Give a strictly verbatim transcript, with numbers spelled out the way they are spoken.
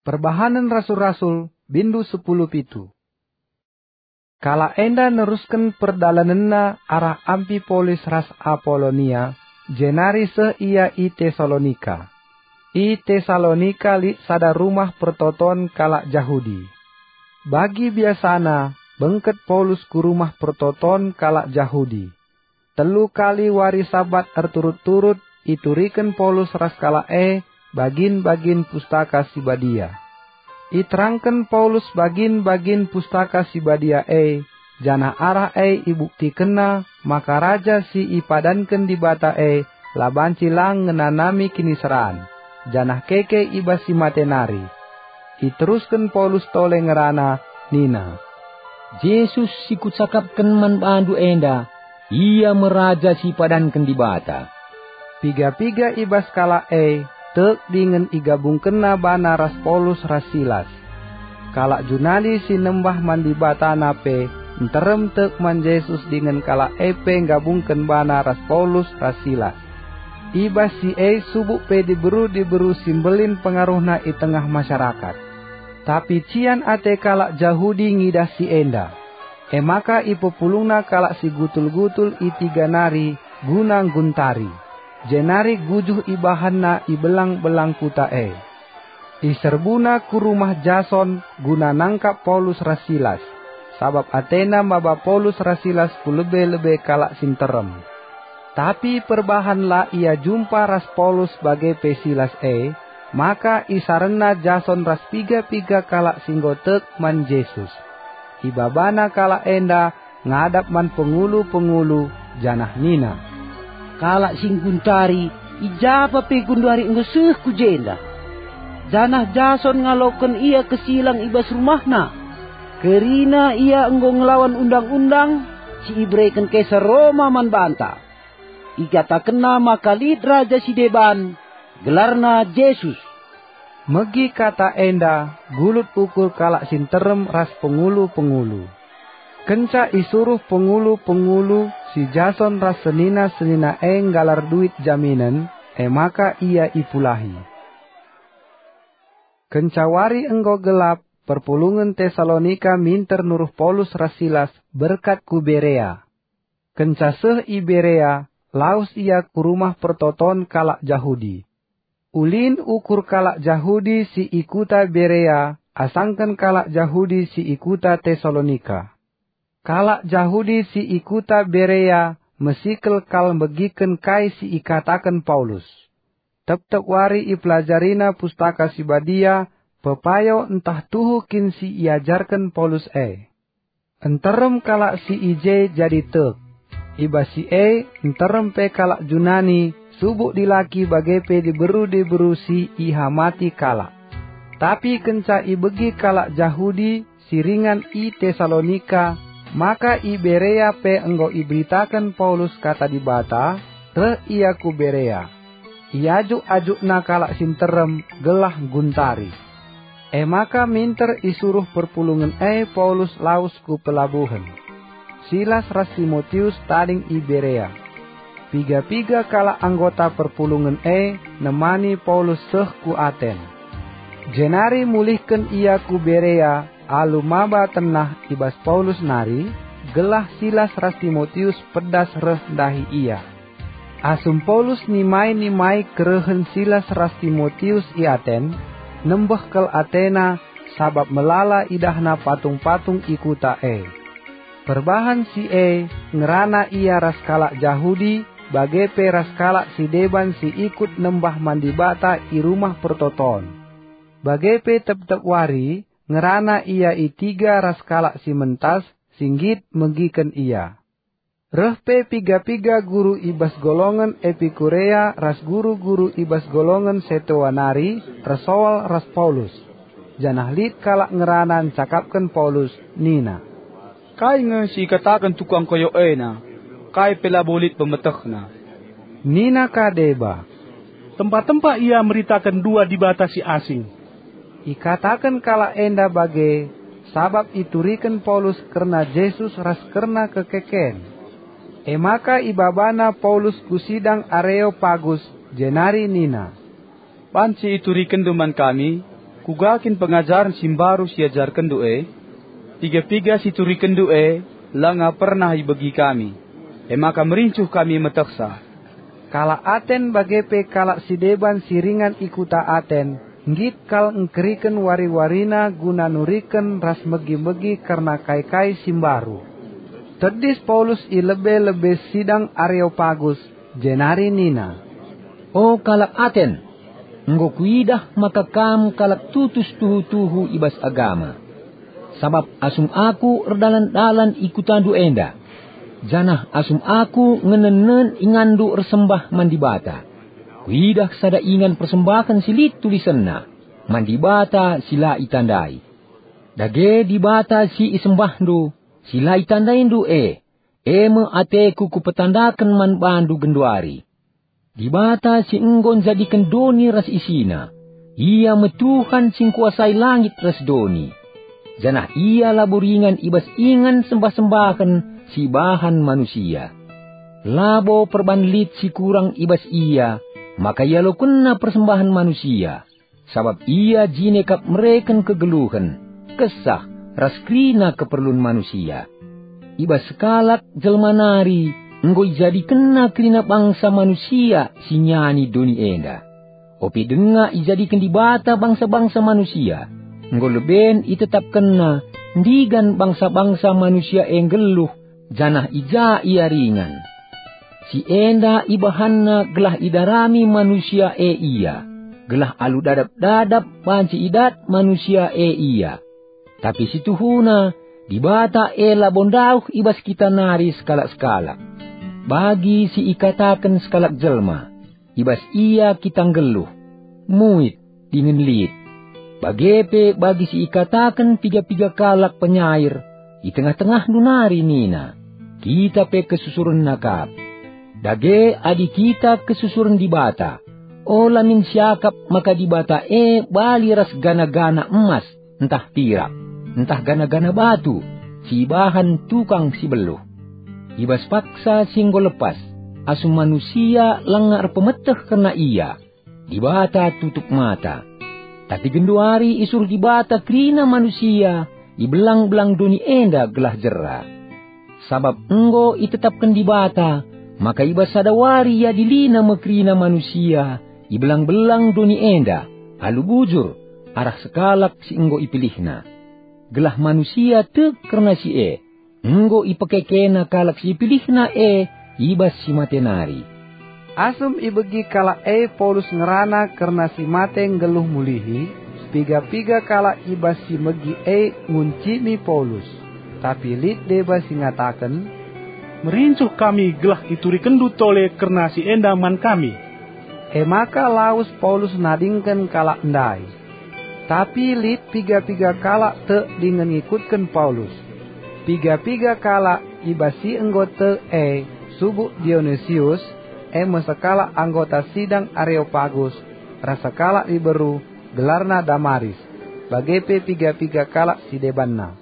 Perbahanen Rasul-Rasul, bindu sepuluh pitu. Kalak enda nerusken perdalanenna arah Ampipolis ras Apolonia, jenari seh ia i Tesalonika. I Tesalonika lit sada rumah pertoton kalak Jahudi. Bagi biasana, bengket Paulus ku rumah pertoton kalak Jahudi. Telu kali wari Sabat erturut-turut ituriken Paulus ras kalak e bagin-bagin Pustaka Si Badia. Iterangken Paulus bagin-bagin Pustaka Si Badia e, janah arah e ibuktikenna maka raja si ipadanken Dibata e la banci lang ngenanami kiniseran, janah keke i bas si mate nari. Iterusken Paulus tole ngerana nina, "Jesus si kucakapken man bandu enda, Ia me Raja si ipadanken Dibata." Piga-piga i bas kalak e tek dingen igabungkenna bana ras Paulus ras Silas. Kalak Junani si nembah man dibatana pe nterem tek man Jesus dingen kalak e pe nggabungken bana ras Paulus ras Silas. I bas si e subuk pe diberu-diberu si mbelin pengaruhna i tengah masyarakat. Tapi cian ate kalak Jahudi ngidah si enda. E maka ipepulungna kalak si gutul-gutul i tiga nari guna ngguntari, jenari gujuh ibahanna i belang-belang kuta e. Iserbuna ku rumah Jason guna nangkap Paulus ras Silas, sabap atena maba Paulus ras Silas ku lebe-lebe kalak si nterem. Tapi perbahan la ia jumpa ras Paulus bage pe Silas e, maka isarenna Jason ras piga-piga kalak si enggo tek man Jesus. Ibabana kalak enda ngadap man pengulu-pengulu janah nina, "Kalak si ngguntari, i ja pe genduari enggo seh ku jenda. Janah Jason ngaloken ia kesilang i bas rumahna. Kerina ia enggo ngelawan undang-undang si ibereken Kaisar Roma man banta. Ikatakenna maka lit raja si deban, gelarna Jesus." Megi kata enda gulut ukur kalak si nterem ras pengulu-pengulu. Kenca isuruh pengulu-pengulu si Jason ras senina-senina e nggalar duit jaminen, e maka ia ipulahi. Kenca wari enggo gelap, perpulungen Tesalonika minter nuruh Paulus ras Silas berkat ku Berea. Kenca seh i Berea, lawes ia ku rumah pertoton kalak Jahudi. Ulin ukur kalak Jahudi si i kuta Berea asangken kalak Jahudi si i kuta Tesalonika. Kalak Jahudi si i kuta Berea mesikel kal megiken kai si ikataken Paulus. Tep-tep wari ipelajarina Pustaka Si Badia, pepayo ntah tuhu kin si iajarken Paulus e. Nterem kalak si i je jadi tek. I bas si e, nterem pe kalak Junani, subuk dilaki bage pe diberu-diberu si ihamati kalak. Tapi kenca ibegi kalak Jahudi si ringan i Tesalonika, maka i Berea pe enggo iberitaken Paulus kata Dibata, reh ia ku Berea. Iajuk-ajukna kalak si nterem gelah ngguntari. E maka minter isuruh perpulungen e Paulus lawes ku pelabuhen. Silas ras Timotius tading i Berea. Piga-piga kalak anggota perpulungen e nemani Paulus seh ku Aten. Jenari mulihken ia ku Berea alu maba tenah i bas Paulus nari, gelah Silas ras Timotius pedas reh ndahi ia. Asum Paulus nimai-nimai kerehen Silas ras Timotius i Aten, nembeh kal atena sabap melala idahna patung-patung i kuta e. Perbahan si e ngerana ia ras kalak Jahudi, bage pe ras kalak si deban si ikut nembah man Dibata i Rumah Pertoton. Bage pe tep-tep wari ngerana ia i tiga ras kalak si mentas si nggit megiken ia. Reh pe piga-piga guru i bas golongen Epikurea ras guru-guru i bas golongen Setoa nari ersoal ras Paulus, janah lit kalak ngerana ncakapken Paulus nina, "Kai nge si ikataken tukang koyok ena? Kai pe labo lit pemetehna." Nina ka deba, "Tempa-tempa ia meritaken dua dibata si asing." Ikataken kalak enda bage, sabap ituriken Paulus kerna Jesus ras kerna kekeken. E maka ibabana Paulus ku sidang Areopagus, jenari nina, "Banci iturikenndu man kami?" Kuga kin pengajaren si mbaru si iajarkenndu e? Piga-piga si iturikenndu e langa pernah ibegi kami, e maka merincuh kami metehsa. Kalak Aten bage pe kalak si deban si ringan i kuta Aten, nggit kal engkeriken wari-warina guna nuriken ras megi-megi kerna kai-kai si mbaru. Tedis Paulus i lebe-lebe sidang Areopagus, jenari nina, "O kalak Aten, enggo kuidah maka kam kalak tutus tuhu-tuhu i bas agama. Sabap asum aku erdalan-dalan i kutandu enda, janah asum aku ngenen-nen inganndu ersembah man Dibata, kuidah sada ingan persembahen si lit tulisenna, 'Man Dibata si la itandai.' Dage Dibata si isembahndu, si la itandaindu e, e me ateku kupetandaken man bandu genduari. Dibata si enggo njadiken doni ras isina, Ia me Tuhan si ngkuasai langit ras doni. Janah Ia labo ringan i bas ingan sembah-sembahen si ibahan manusia. Labo perban lit si kurang i bas Ia, maka ialokenNa persembahen manusia. Sabap Ia jine kap mereken kegeluhen, kesah, ras kerina keperlun manusia. I bas sekalak jelma nari enggo ijadikenNa kerina bangsa manusia si nyani doni enda. Ope denga ijadiken Dibata bangsa-bangsa manusia, enggo leben itetapkenNa ndigan bangsa-bangsa manusia e nggeluh, janah i ja ia ringan. Si enda ibahanNa gelah idarami manusia e Ia, gelah alu dadap-dadap banci idat manusia e Ia. Tapi si tuhuna, Dibata e labo ndauh i bas kita nari sekalak-sekalak. Bagi si ikataken sekalak jelma, i bas ia kita nggeluh, muit, dingen lit. Bage pe bagi si ikataken piga-piga kalak penyair i tengah-tengahndu nari nina, "Kita pe kesusurenna kap." Dage adi kita kesusuren Dibata, ola min siakap maka Dibata e bali ras gana-gana emas, ntah pirak, ntah gana-gana batu si ibahan tukang si beluh. I bas paksa si enggo lepas, asum manusia langa erpemeteh kerna ia, Dibata tutup mata. Tapi genduari isuruh Dibata kerina manusia i belang-belang doni enda gelah jera. Sabap enggo itetapken Dibata maka i bas sada wari iadiliNa me kerina manusia i belang-belang doni enda alu bujur arah sekalak si enggo ipilihNa. Gelah manusia tek kerna si e, enggo ipekekena kalak si ipilihNa e i bas si mate nari. Asum ibegi kalak e Paulus ngerana kerna si mate nggeluh mulihi, piga-piga kalak i bas si megi e nguncimi Paulus. Tapi lit deba si ngataken, "Merincuh kami gelah iturikenndu tole kerna si enda man kami." E maka lawes Paulus nadingken kalak ndai. Tapi lit piga-piga kalak tek dingen ngikutken Paulus. Piga-piga kalak i bas si enggo tek e subuk Dionisius, e me sekalak anggota sidang Areopagus, ras sekalak diberu, gelarna Damaris, bage pe piga-piga kalak si debanna.